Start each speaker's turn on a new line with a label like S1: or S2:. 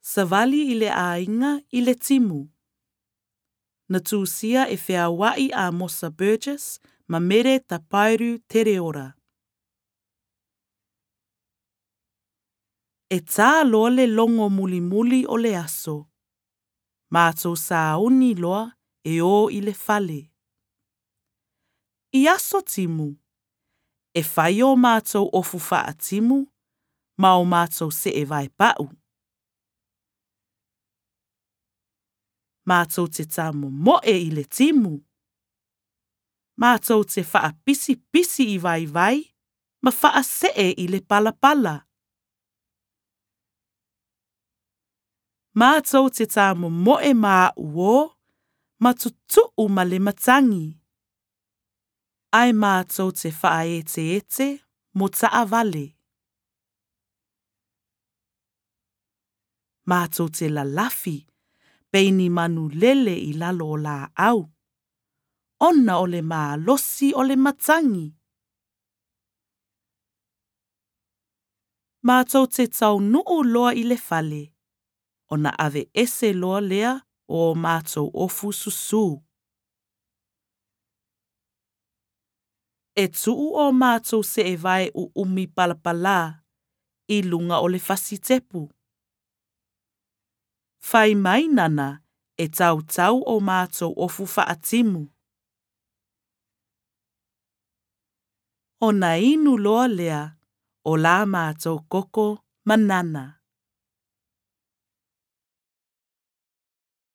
S1: Savali i le ainga i le timu. Na tūsia e whea wai a Mosa Burgess ma mere ta pairu tere ora. E tā loa le longo muli muli o le aso. Mātou sa uni loa e o i le fale. I aso timu. E whai o mātou ofu wha timu, ma o mātou se e vai pau. Mātou te tāmo moe i le timu. Mātou te wha pisi pisi i vai vai, ma wha se e i le pala pala. Mātou te tāmo moe mā uo, ma tutu ma le matangi. Ai mātou te wha ete mo taa vale. Mātou te la lafi, peini manu lele i lalo o la au. Ona o le mā losi o le matangi. Mātou te tau nuu loa i le fale. Ona ave ese loa lea o mātou ofu susu. E tuu o mātou se e vai u umi palapala i lunga o le fasitepu. Whai mai nana e tau o mātou ofu whaatimu. O na inu loa lea o la mātou koko manana.